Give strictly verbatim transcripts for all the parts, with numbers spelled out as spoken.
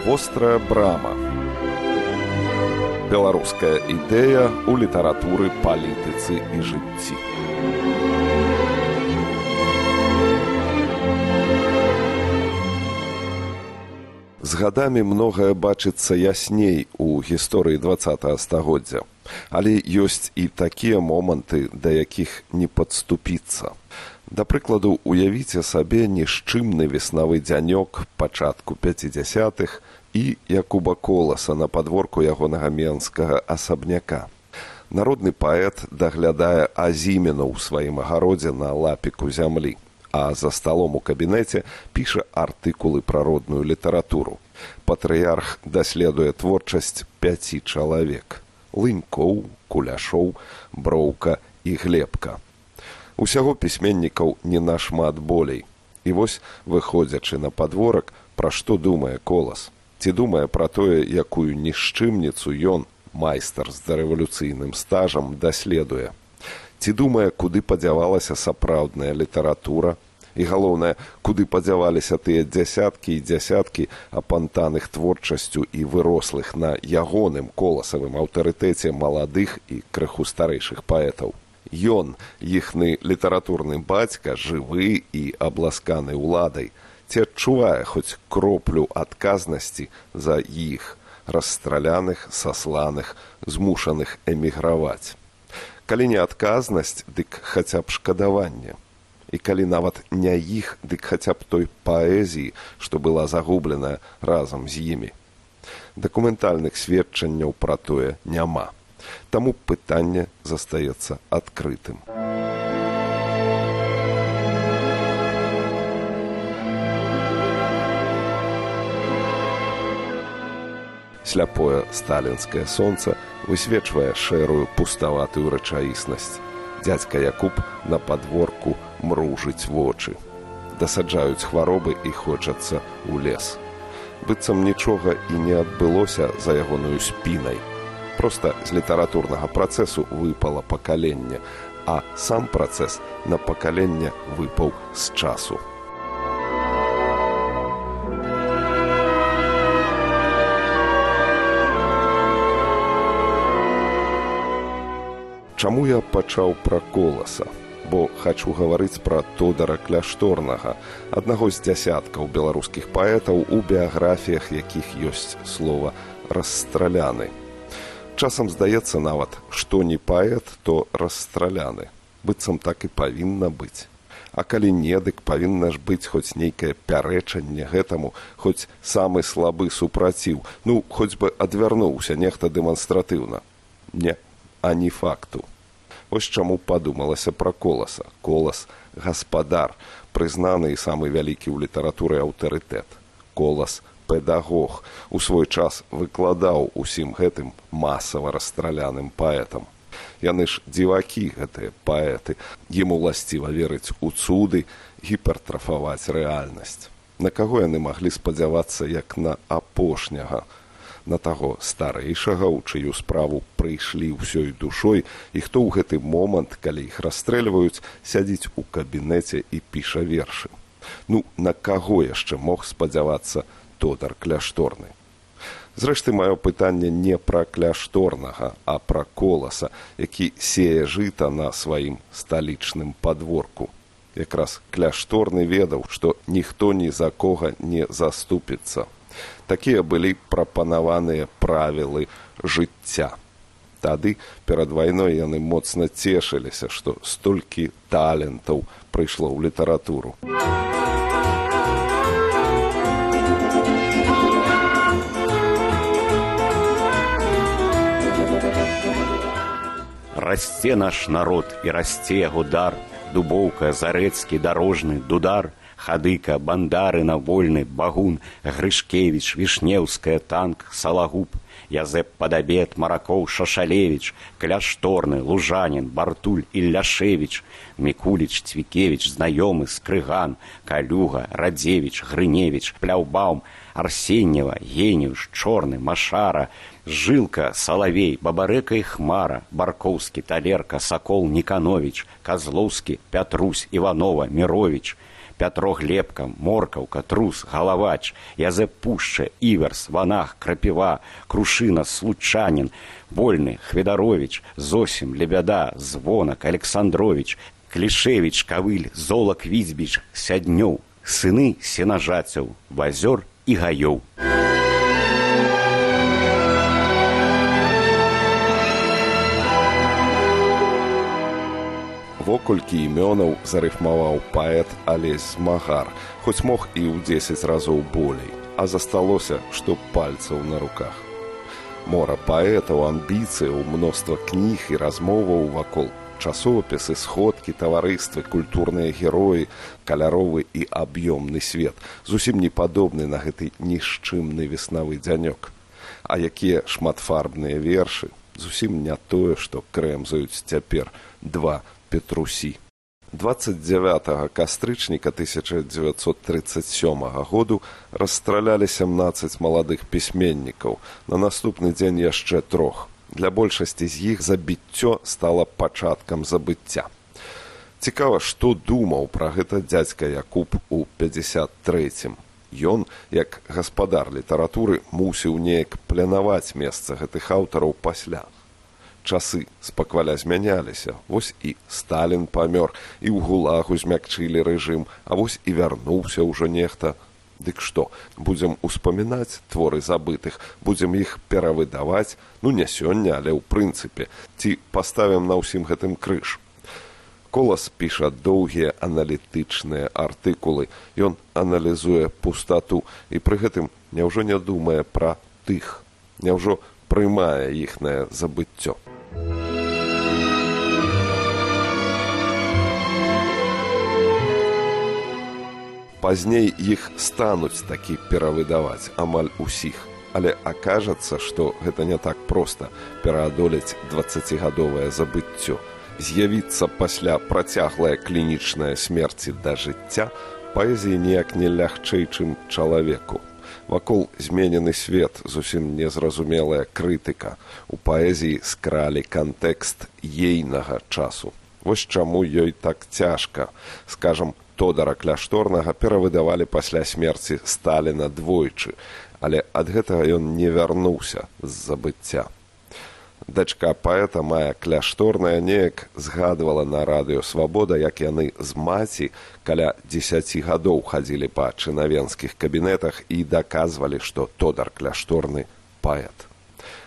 Вострая брама. Беларуская ідэя ў літаратуры, палітыцы і жыцці. З гадамі многае бачыцца ясней у гісторыі дваццатага стагоддзя. Але ёсць і такія моманты, да якіх не падступіцца. Да прыкладу, уявіце сабе нішчымны веснавы дзянёк пачатку пяцідзясятых і Якуба Коласа на падворку ягонага менскага асабняка. Народны паэт даглядае азіміну ў сваім агародзе на лапіку зямлі, а за сталом у кабінеце піша артыкулы пра родную літаратуру. Патрыярх даследуе творчасць пяці чалавек: Лынькоў, Куляшоў, Броўка і Глебка. Усяго пісьменнікаў не нашмат болей. І вось, выходзячы на падворак, пра што думае Колас? Ці думае пра тое, якую нішчымніцу ён, майстар з дарэвалюцыйным стажам, даследуе? Ці думае, куды падзявалася сапраўдная літаратура? І галоўнае, куды падзяваліся тыя дзясяткі і дзясяткі апантаных творчасцю і вырослых на ягоным коласавым аўтарытэце маладых і крыху старэйшых паэтаў? Ён, іхны літаратурны бацька, жывы і абласканы ўладай, ці адчувае хоць кроплю адказнасці за іх, расстраляных, сасланых, змушаных эміграваць? Калі не адказнасць, дык хаця б шкадаванне. І калі нават не іх, дык хаця б той паэзіі, што была загубленая разам з імі. Дакументальных сведчанняў пра тое няма. Таму пытанне застаецца адкрытым. Сляпое сталінскае сонца высвечвае шэрую пуставатую рэчаіснасць. Дзядзька Якуб на падворку мружыць вочы. Дасаджаюць хваробы і хочацца ў лес. Быццам нічога і не адбылося за ягоную спінай. Проста з літаратурнага працэсу выпала пакаленне, а сам працэс на пакаленне выпаў з часу. Чаму я пачаў пра Коласа? Бо хачу гаварыць пра Тодара Кляшторнага, аднаго з дзясяткаў беларускіх паэтаў, у біяграфіях якіх ёсць слова «расстраляны». Часам здаецца нават, што не паэт, то расстраляны. Быццам так і павінна быць. А калі не, дык павінна ж быць хоць нейкае пярэчанне гэтаму, хоць самы слабы супраціў, ну, хоць бы адвярнуўся нехта дэманстратыўна. Не, ані факту. Вось чаму падумалася пра Коласа. Колас – гаспадар, прызнаны і самы вялікі ў літаратуры аўтарытэт. Колас – педагог, у свой час выкладаў усім гэтым масава расстраляным паэтам. Яны ж дзівакі, гэтыя паэты. Ім уласціва верыць у цуды, гіпертрафаваць рэальнасць. На каго яны маглі спадзявацца, як на апошняга? На таго старэйшага, у чыю справу прыйшлі ўсёй душой, і хто ў гэты момант, калі іх расстрэльваюць, сядзіць у кабінеце і піша вершы. Ну, на каго яшчэ мог спадзявацца Тодар Кляшторны? Зрэшты, маё пытанне не пра Кляшторнага, а пра Коласа, які сее жыта на сваім сталічным падворку. Якраз Кляшторны ведаў, што ніхто ні за кога не заступіцца. Такія былі прапанаваныя правілы жыцця. Тады, перад вайной, яны моцна цешыліся, што столькі талентаў прыйшло ў літаратуру. Расце наш народ, і расце яго дар, Дубоўка, Зарэцкі, Дарожны, Дудар, Хадыка, Бандарына, Вольны, Багун, Грышкевіч, Вішнеўская, Танк, Салагуб, Язэп Падабет, Маракоў, Шашалевіч, Кляшторны, Лужанін, Бартуль, Ілляшевіч, Мікуліч, Цвікевіч, Знаёмы, Скрыган, Калюга, Радзевіч, Грыневіч, Пляўбаум, Арсеньева, Геніуш, Чорны, Машара, Жылка, Салавей, Бабарэка і Хмара, Баркоўскі, Талерка, Сакол, Нікановіч, Казлоўскі, Пятрусь, Іванова, Міровіч, Пятро Глебка, Моркаўка, Трус, Галавач, Язэп Пушча, Іверс, Ванах, Крапіва, Крушына, Случанін, Вольны, Хведарович, Зосім, Лебяда, Звонак, Александрович, Клішевіч, Кавыль, Золак, Візьбіч, Сяднёў, сыны сенажацяў, Вазёр і Гаёў. Воколькі імёнаў зарыфмаваў паэт Алесь Змагар, хоць мог і ў дзесяць разоў болей, а засталося, што пальцаў на руках. Мора паэтаў, амбіцыяў, мноства кніг і размоваў вакол, часопісы, сходкі, таварыствы, культурныя героі, каляровы і аб'ёмны свет, зусім не падобны на гэты нішчымны веснавы дзянёк. А якія шматфарбныя вершы, зусім не тое, што крэмзаюць цяпер два Петрусі. дваццаць дзявятага кастрычніка тысяча дзевяцьсот трыццаць сёмага году расстралялі сямнаццаць маладых пісьменнікаў, на наступны дзень яшчэ трох. Для большасці з іх забіццё стала пачаткам забыцця. Цікава, што думаў пра гэта дзядзька Якуб у пяцьдзясят трэцім. Ён, як гаспадар літаратуры, мусіў неяк планаваць месца гэтых аўтараў пасля. Часы спакваля змяняліся, вось і Сталін памёр, і ў гулагу змякчылі рэжым, а вось і вярнуўся ўжо нехта. Дык што, будзем успамінаць творы забытых, будзем іх перавыдаваць, ну не сёння, але ў прынцыпе, ці паставім на ўсім гэтым крыж. Колас піша доўгія аналітычныя артыкулы, ён аналізуе пустату і пры гэтым няўжо не думае пра тых, няўжо прымае іхнае забыццё. Пазней іх стануць такі перавыдаваць амаль усіх, але акажацца, што гэта не так проста пераадолець дваццацігадовае забыццё. З'явіцца пасля працяглая клінічная смерці да жыцця паэзіі ніяк не лягчэй, чым чалавеку. Вакол зменены свет, зусім незразумелая крытыка. У паэзіі скралі кантэкст ейнага часу. Вось чаму ёй так цяжка. Скажам, Тодара Кляшторнага перавыдавалі пасля смерці Сталіна двойчы, але ад гэтага ён не вярнуўся з забыцця. Дачка паэта Мая Кляшторная неяк згадвала на радыё «Свабода», як яны з маці каля дзесяці гадоў хадзілі па чынавенскіх кабінетах і даказвалі, што Тодар Кляшторны паэт.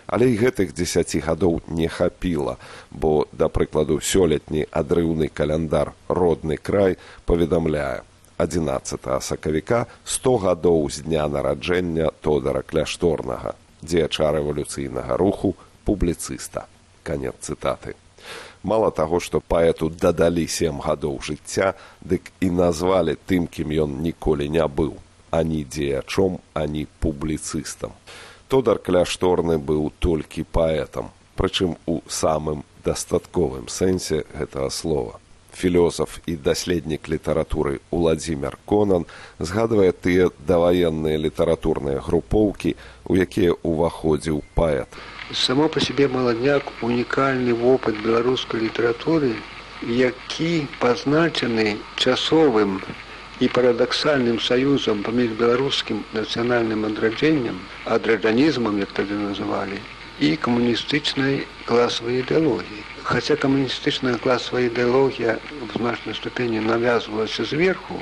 Але і гэтых дзесяці гадоў не хапіла, бо, да прыкладу, сёлетні адрыўны каляндар «Родны край» паведамляе: адзінаццатага сакавіка сто гадоў з дня нараджэння Тодара Кляшторнага, дзеяча рэвалюцыйнага руху, публіцыста. Канец цытаты. Мала таго, што паэту дадалі сем гадоў жыцця, дык і назвалі тым, кім ён ніколі не быў, ані дзеячом, ані публіцыстам. Тодар Кляшторны быў толькі паэтам, прычым у самым дастатковым сэнсе гэтага слова. Філёзаф і даследнік літаратуры Уладзімір Конан згадвае тыя даваенныя літаратурныя групоўкі, у якія ўваходзіў паэт. Само по себе «Маладняк» унікальны вопыт беларускай літаратуры, які пазначаны часовым і парадаксальным саюзам паміж беларускім нацыянальным адраджэннем, адраджанізмам, як тады называлі, і камуністычнай класавай ідэалогіяй. Хаця камуністычная класавая ідэалогія в значнай ступені навязвалася зверху,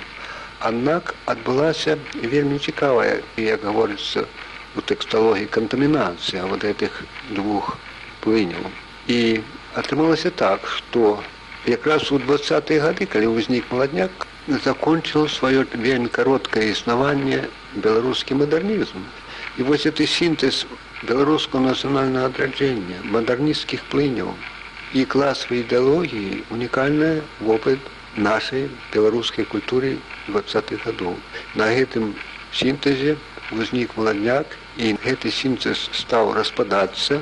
аднак адбылася вельмі цікавая, як гаворыцца у тэксталогіі, кантамінацыя вот этих двух плыняў. І атрымалася так, што якраз у двадцатыя гады, калі ўзнік «Маладняк», закончил свое вельмі кароткае існаванне беларускі мадэрнізм. І вось гэты сінтэз беларускага нацыянальнага адраджэння, мадэрнісцкіх плыняў і класавай ідэалогіі унікальны вопыт нашай беларускай культуры двадцатых гадоў. На гэтым сінтэзе узнік «Маладняк», і гэты сінтэз стаў распадацца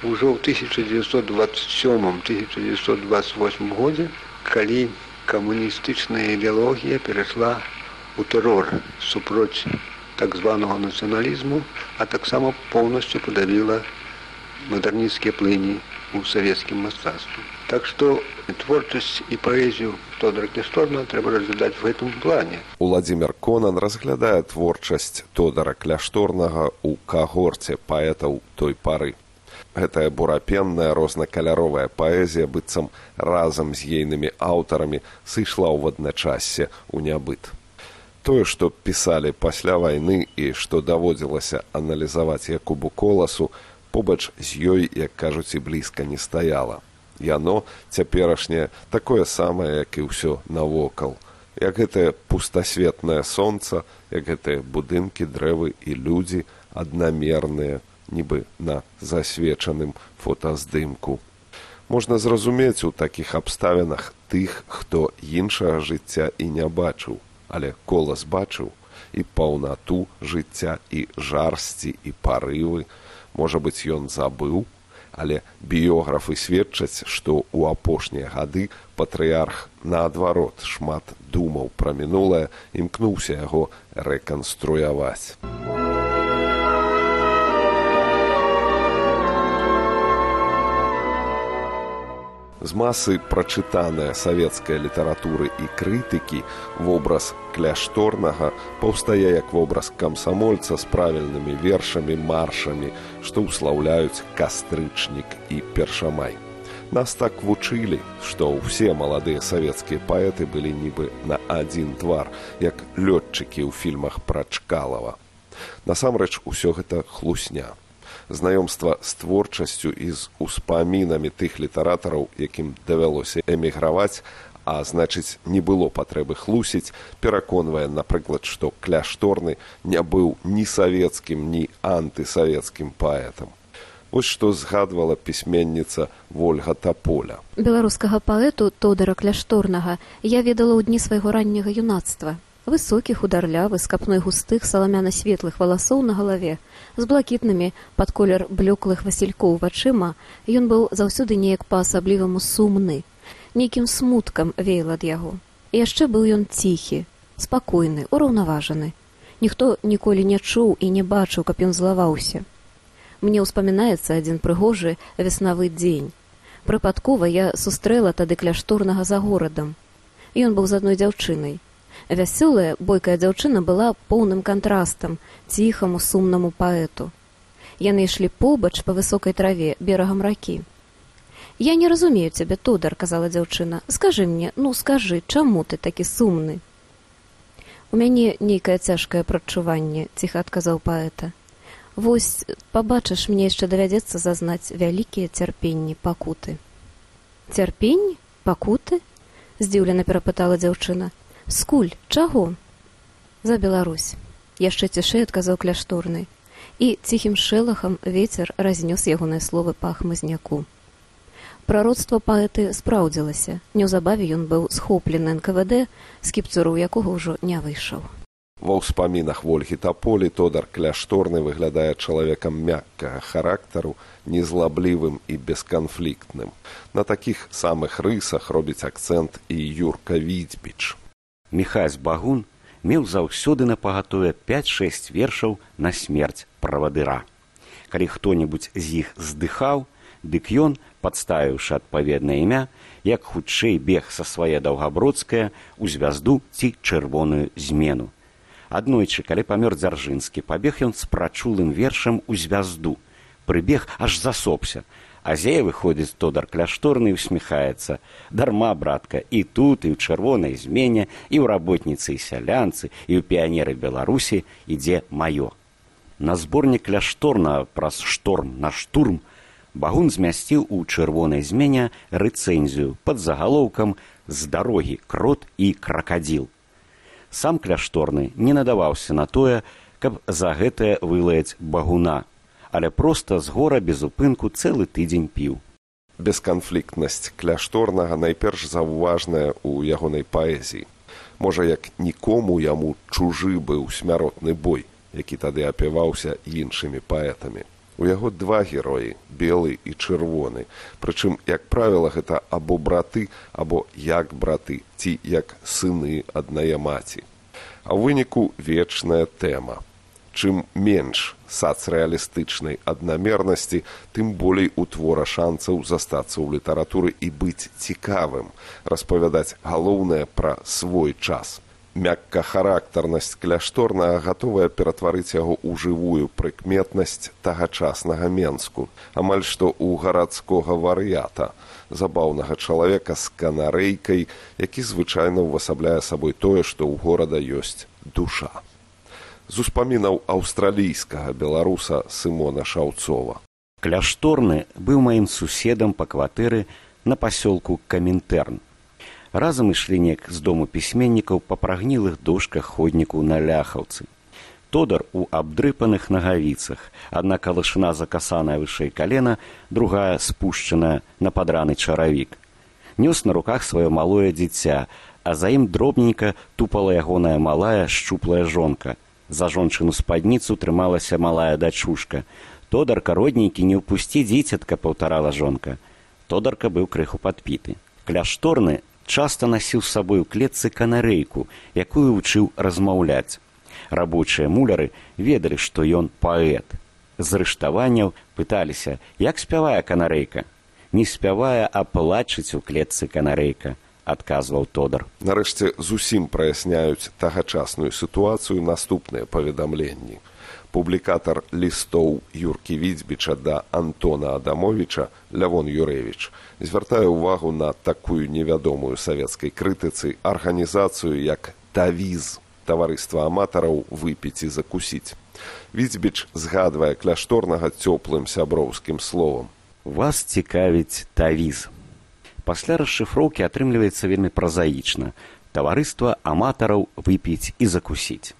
ўжо ў тысяча дзевяцьсот дваццаць сёмым — тысяча дзевяцьсот дваццаць восьмым годзе, калі камуністычная ідэалогія перайшла ў тэрор супроць так званага нацыяналізму, а таксама поўнасцю падавіла мадэрнісцкія плыні у савецкім мастацтве. Так што творчасць і паэзію Тодара Кляшторнага трэба разглядаць в гэтым плане. Уладзімір Конан разглядае творчасць Тодара Кляшторнага ў кагорце паэтаў той пары. Гэтая бурапенная рознакаляровая паэзія быццам разам з ейнымі аўтарамі сышла ў адначасе ў нябыт. Тое, што пісалі пасля вайны і што даводзілася аналізаваць Якубу Коласу, побач з ёй, як кажуць, і блізка не стаяла. Яно, цяперашняе, такое самае, як і ўсё навокал. Як гэтае пустасветнае сонца, як гэтыя будынкі, дрэвы і людзі аднамерныя, нібы на засвечаным фотаздымку. Можна зразумець у такіх абставінах тых, хто іншага жыцця і не бачыў, але Колас бачыў і паўнату жыцця, і жарсці, і парывы. Можа быць, ён забыў, але біёграфы сведчаць, што ў апошнія гады патрыярх, наадварот, шмат думаў пра мінулае, імкнуўся яго рэканструяваць. З масы прачытанай савецкай літаратуры і крытыкі вобраз Кляшторнага паўстае як вобраз камсамольца з правільнымі вершамі, маршамі, што ўслаўляюць кастрычнік і першамай. Нас так вучылі, што ўсе маладыя савецкія паэты былі нібы на адзін твар, як лётчыкі ў фільмах пра Чкалава. Насамрэч, усё гэта хлусня. Знаёмства з творчасцю і з успамінамі тых літаратараў, якім давялося эміграваць, а значыць, не было патрэбы хлусіць, пераконвае, напрыклад, што Кляшторны не быў ні савецкім, ні антысавецкім паэтам. Вось што згадвала пісьменніца Вольга Таполя. Беларускага паэту Тодара Кляшторнага я ведала ў дні свайго ранняга юнацтва. Высокі, хударлявы, з капной густых саламяна-светлых валасоў на галаве, з блакітнымі пад колер блеклых васількоў вачыма, ён быў заўсёды неяк па-асабліваму сумны. Нейкім смуткам веяла ад яго. І яшчэ быў ён ціхі, спакойны, ураўнаважаны. Ніхто ніколі не чуў і не бачыў, каб ён злаваўся. Мне ўспамінаецца адзін прыгожы веснавы дзень. Прыпадкова я сустрэла тады Кляшторнага за горадам. Ён быў з адной дзяўчынай. Вясёлая, бойкая дзяўчына была поўным кантрастам ціхаму, сумнаму паэту. Яны ішлі побач па высокай траве берагам ракі. «Я не разумею цябе, Тодар», — казала дзяўчына. «Скажы мне, ну скажы, чаму ты такі сумны?» «У мяне нейкае цяжкае прадчуванне», — ціха адказаў паэта. «Вось, пабачыш, мне яшчэ давядзецца зазнаць вялікія цярпенні, пакуты». «Цярпенні? Пакуты?» — здзіўлена перапытала дзяўчына. «Скуль? Чаго?» «За Беларусь», — яшчэ цішэй адказаў Кляшторны. І ціхім шэлахам вецер разнёс ягоныя словы па хмызняку. Прароцтва паэты спраўдзілася. Неўзабаве ён быў схоплены эн ка вэ дэ, з кіпцюру якога ўжо не выйшаў. Ва ўспамінах Вольгі Таполі Тодар Кляшторны выглядае чалавекам мяккага характару, незлаблівым і бесканфліктным. На такіх самых рысах робіць акцэнт і Юрка Відзьбіч. Міхась Багун меў заўсёды напагатове пяць-шэсць вершаў на смерць правадыра. Калі хто-небудзь з іх здыхаў, дык ён, падставіўшы адпаведнае імя, як хутчэй бег са свае Даўгабродскае ў звязду ці чырвоную змену. Аднойчы, калі памёр Дзяржынскі, пабег ён з прачулым вершам у звязду. Прыбег, аж засопся. А зее выходзіць Тодар Кляшторны і усміхаецца. Дарма, братка, і тут, і ў чырвонай змене, і ў работніцы і сялянцы, і ў піянеры Беларусі ідзе маё. На зборнік Кляшторна праз шторм на штурм Багун змясціў у чырвонай змене рэцэнзію пад загалоўкам «З дарогі крот і кракадзіл». Сам Кляшторны не надаваўся на тое, каб за гэтае вылаяць Багуна, але проста з гора без упынку цэлы тыдзень піў. Бесканфліктнасць Кляшторнага найперш заўважная ў ягонай паэзіі. Можа, як нікому яму чужы быў смяротны бой, які тады апяваўся іншымі паэтамі. У яго два героі, белы і чырвоны. Прычым, як правіла, гэта або браты, або як браты, ці як сыны аднае маці. А ў выніку вечная тэма. Чым менш сацрэалістычнай аднамернасці, тым болей у твора шанцаў застацца ў літаратуры і быць цікавым, распавядаць галоўнае пра свой час. Мяккахарактарнасць кляшторнага гатовая ператварыць яго ў жывую прыкметнасць тагачаснага Менску, амаль што ў гарадскога вар'ята, забаўнага чалавека з канарэйкай, які звычайна ўвасабляе сабой тое, што ў горада ёсць душа. З успамінаў аўстралійскага беларуса Сымона Шаўцова. Кляшторны быў маім суседам па кватэры на пасёлку Камінтэрн. Разам ішлі неяк з дому пісьменнікаў па прагнілых дошках ходніку на Ляхаўцы. Тодар у абдрыпаных нагавіцах, адна калышына закасаная вышэй калена, другая спушчаная на падраны чаравік. Нёс на руках сваё малое дзіця, а за ім дробненька тупала ягоная малая шчуплая жонка. За жончыну спадніцу трымалася малая дачушка. Тодарка, родненькі, не ўпусці дзіцятка, паўтарала жонка. Тодарка быў крыху падпіты. Кляшторны часта насіў з сабой у клетцы канарэйку, якую вучыў размаўляць. Рабочыя муляры ведалі, што ён паэт. З рыштаванняў пыталіся, як спявае канарэйка. Не спявае, а плачыць у клетцы канарэйка, адказваў Тодар. Нарэшце зусім праясняюць тагачасную сітуацыю наступныя паведамленні. Публікатар лістоў Юркі Відзьбіча да Антона Адамовіча Лявон Юрэвіч звяртае ўвагу на такую невядомую савецкай крытыцы арганізацыю, як «Тавіз» – таварыства аматараў выпіць і закусіць. Відзьбіч згадвае кляшторнага цёплым сяброўскім словам. Вас цікавіць тавіз. Пасля расшыфроўкі атрымліваецца вельмі празаічна. Таварыства аматараў выпіць і закусіць.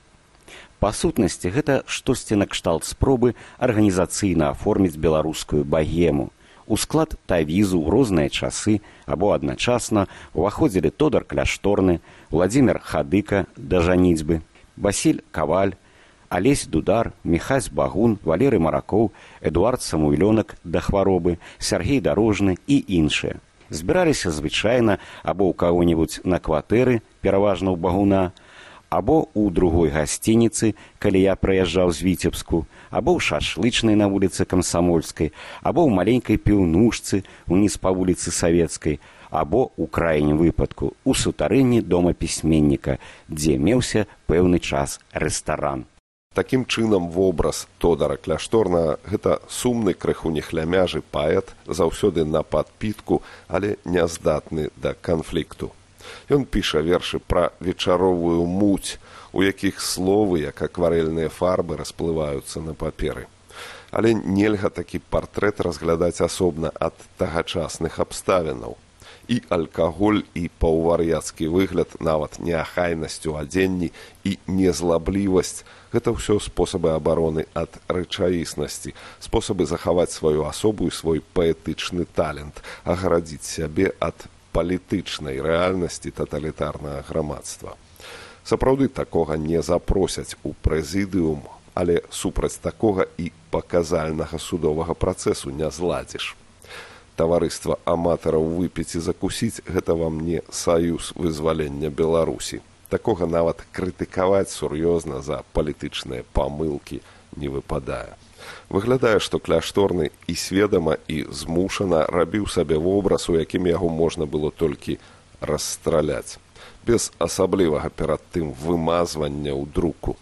Па сутнасці, гэта штосьці накшталт спробы арганізацыйна аформіць беларускую багему. У склад тавізу ў розныя часы або адначасна уваходзілі Тодар Кляшторны, Владзімір Хадыка да жаніцьбы, Васіль Каваль, Алесь Дудар, Міхась Багун, Валерый Маракоў, Эдуард Самуйлёнак да хваробы, Сяргей Дарожны і іншыя. Збіраліся звычайна або ў каго-небудзь на кватэры, пераважна ў Багуна, або ў другой гасцініцы, калі я прыязджаў з Віцебску, або ў шашлычнай на вуліцы Камсамольскай, або ў маленькай піўнушцы уніз па вуліцы Савецкай, або, у крайнім выпадку, у сутарэнні дома пісьменніка, дзе меўся пэўны час рэстаран. Такім чынам вобраз Тодара Кляшторнага – гэта сумны, крыху нехлямяжы паэт, заўсёды на падпітку, але няздатны да канфлікту. Ён піша вершы пра вечаровую муць, у якіх словы, як акварэльныя фарбы, расплываюцца на паперы. Але нельга такі партрэт разглядаць асобна ад тагачасных абставінаў. І алкаголь, і паўвар'яцкі выгляд, нават неахайнасць у адзенні і незлаблівасць – гэта ўсё спосабы абароны ад рэчаіснасці, спосабы захаваць сваю асобу і свой паэтычны талент, агарадзіць сябе ад палітычнай рэальнасці таталітарнага грамадства. Сапраўды такога не запросяць у прэзідыум, але супраць такога і паказальнага судовага працэсу не зладзіш. Таварыства аматараў выпіць і закусіць – гэта вам не саюз вызвалення Беларусі. Такога нават крытыкаваць сур'ёзна за палітычныя памылкі не выпадае. Выглядае, што Кляшторны і сведама, і змушана рабіў сабе вобраз, у якім яго можна было толькі расстраляць, без асаблівага перад тым вымазвання ў друку.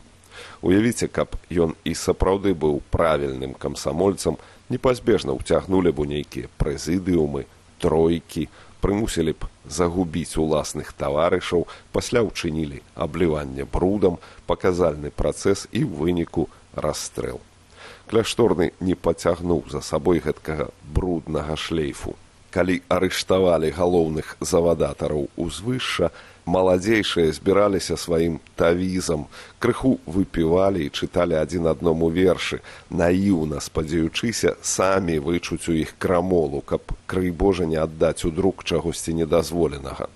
Уявіце, каб ён і сапраўды быў правільным камсамольцам, непазбежна ўцягнулі б у нейкія прэзідыумы, тройкі, прымусілі б загубіць уласных таварышаў, пасля ўчынілі абліванне брудам, паказальны працэс і ў выніку расстрэл. Кляшторны не пацягнуў за сабой гэткага бруднага шлейфу. Калі арыштавалі галоўных завадатараў узвышша, маладзейшыя збіраліся сваім тавізам, крыху выпівалі і чыталі адзін адному вершы, наіўна спадзяючыся самі вычуць у іх крамолу, каб, крый Божа, не аддаць у друк чагосьці недазволенага.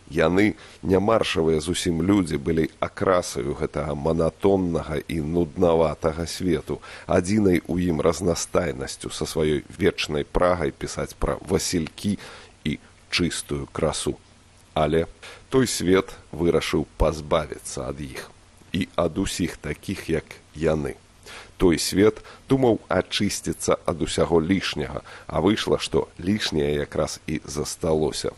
Яны, нямаршавыя зусім людзі, былі акрасаю гэтага манатоннага і нуднаватага свету, адзінай у ім разнастайнасцю са сваёй вечнай прагай пісаць пра васількі і чыстую красу. Але той свет вырашыў пазбавіцца ад іх і ад усіх такіх, як яны. Той свет думаў ачысціцца ад усяго лішняга, а выйшла, што лішняе якраз і засталося.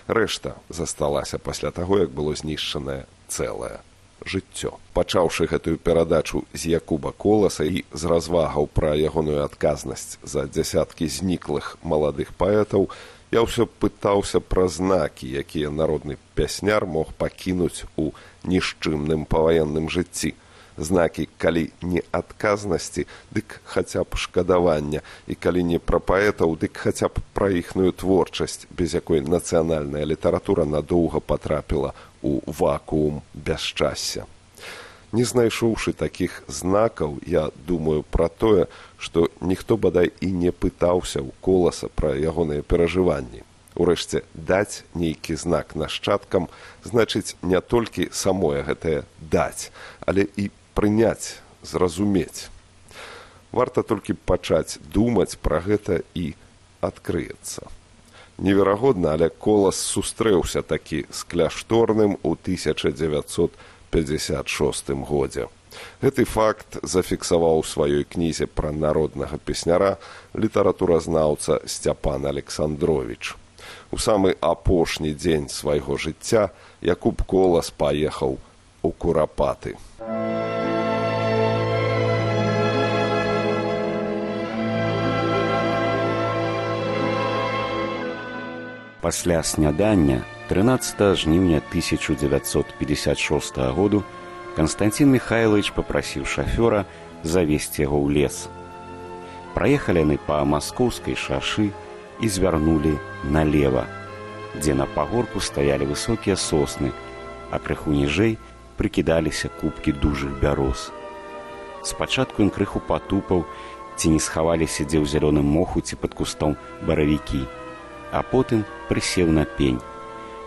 Рэшта засталася пасля таго, як было знішчанае цэлае жыццё. Пачаўшы гэтую перадачу з Якуба Коласа і з развагаў пра ягоную адказнасць за дзясяткі зніклых маладых паэтаў, я ўсё пытаўся пра знакі, якія народны пясняр мог пакінуць у нішчымным паваенным жыцці. Знакі, калі не адказнасці, дык хаця б шкадавання, і калі не пра паэтаў, дык хаця б пра іхную творчасць, без якой нацыянальная літаратура надоўга потрапіла у вакуум бясчасця. Не знайшоўшы такіх знакаў, я думаю пра тое, што ніхто бадай і не пытаўся ў Коласа пра ягоныя перажыванні. Урэшце, даць нейкі знак нашчадкам значыць не толькі самое гэтае даць, але і прыняць, зразумець. Варта толькі пачаць думаць пра гэта і адкрыецца. Неверагодна, але Колас сустрэўся такі з кляшторным у тысяча дзевяцьсот пятьдесят шостым годзе. Гэты факт зафіксаваў у сваёй кнізе пра народнага песняра літаратуразнаўца Сцяпан Александровіч. У самы апошні дзень свайго жыцця Якуб Колас паехаў у Курапаты. Пасля снядання трынаццатага жніўня тысяча дзевяцьсот пятьдесят шостага году Константин Михайлович папрасіў шафёра завесці яго ў лес. Праехалі яны па маскоўскай шашы і звярнулі налева, дзе на пагорку стаялі высокія сосны, а крыху ніжэй прыкідаліся купкі дужых бяроз. Спачатку ён крыху патупаў, ці не схаваліся дзе ў зялёным моху ці пад кустом баравікі, а потым прысеў на пень.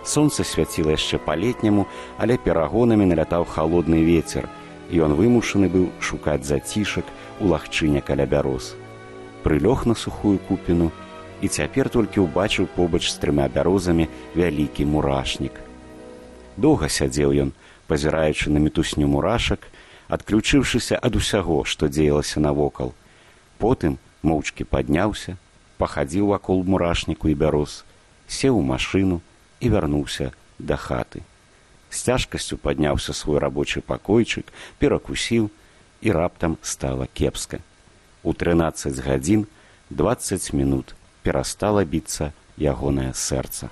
Сонца свяціла яшчэ па-летняму, але перагонамі налятаў халодны вецер, і ён вымушаны быў шукаць зацішак у лагчыне каля бяроз. Прылёг на сухую купіну і цяпер толькі ўбачыў побач з трыма бярозамі вялікі мурашнік. Доўга сядзеў ён, пазіраючы на мітусню мурашак, адключыўшыся ад усяго, што дзеялася навокал. Потым моўчкі падняўся, пахадзіў вакол мурашніку і бяроз, сеў у машыну і вярнуўся да хаты. З цяжкасцю падняўся свой рабочы пакойчык, перакусіў, і раптам стала кепска. У трынаццаць гадзін дваццаць мінут перастала біцца ягонае сэрца.